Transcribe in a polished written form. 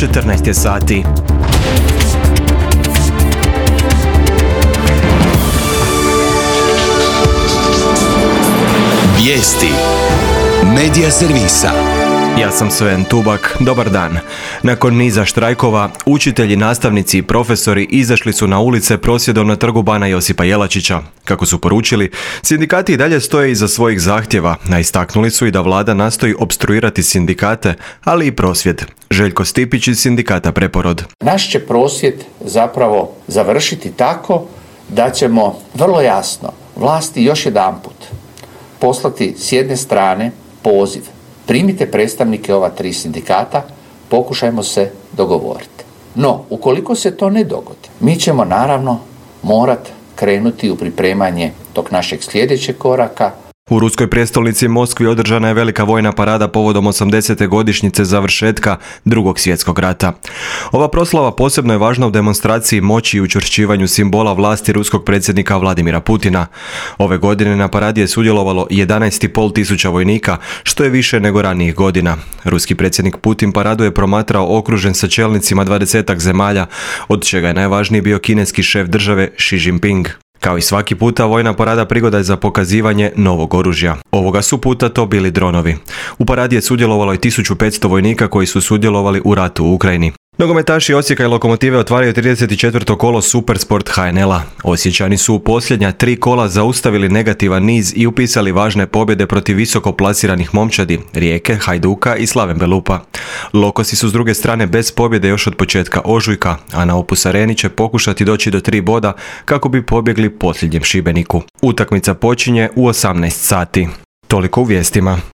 14 je sati. Vijesti Medija servisa. Ja sam Sven Tubak, dobar dan. Nakon niza štrajkova, učitelji, nastavnici i profesori izašli su na ulice prosvjedom na trgu Bana Josipa Jelačića. Kako su poručili, sindikati i dalje stoje iza svojih zahtjeva, a istaknuli su i da vlada nastoji opstruirati sindikate, ali i prosvjed. Željko Stipić iz sindikata Preporod. Naš će prosvjed zapravo završiti tako da ćemo vrlo jasno vlasti još jedanput poslati s jedne strane poziv. Primite predstavnike ova 3 sindikata, pokušajmo se dogovoriti. No, ukoliko se to ne dogodi, mi ćemo naravno morati krenuti u pripremanje tog našeg sljedećeg koraka. U ruskoj prijestolnici Moskvi održana je velika vojna parada povodom 80. godišnjice završetka Drugog svjetskog rata. Ova proslava posebno je važna u demonstraciji moći i učvršćivanju simbola vlasti ruskog predsjednika Vladimira Putina. Ove godine na paradi je sudjelovalo 11,5 tisuća vojnika, što je više nego ranijih godina. Ruski predsjednik Putin paradu je promatrao okružen sa čelnicima 20 zemalja, od čega je najvažniji bio kineski šef države Xi Jinping. Kao i svaki puta, vojna parada prigoda je za pokazivanje novog oružja. Ovoga su puta to bili dronovi. U paradi je sudjelovalo i 1500 vojnika koji su sudjelovali u ratu u Ukrajini. Nogometaši Osijeka i Lokomotive otvaraju 34. kolo Supersport HNL-a. Osječani su u posljednja 3 kola zaustavili negativan niz i upisali važne pobjede protiv visoko plasiranih momčadi Rijeke, Hajduka i Slaven Belupa. Lokosi su s druge strane bez pobjede još od početka ožujka, a na Opus Areni će pokušati doći do 3 boda kako bi pobjegli posljednjem Šibeniku. Utakmica počinje u 18 sati. Toliko u vijestima.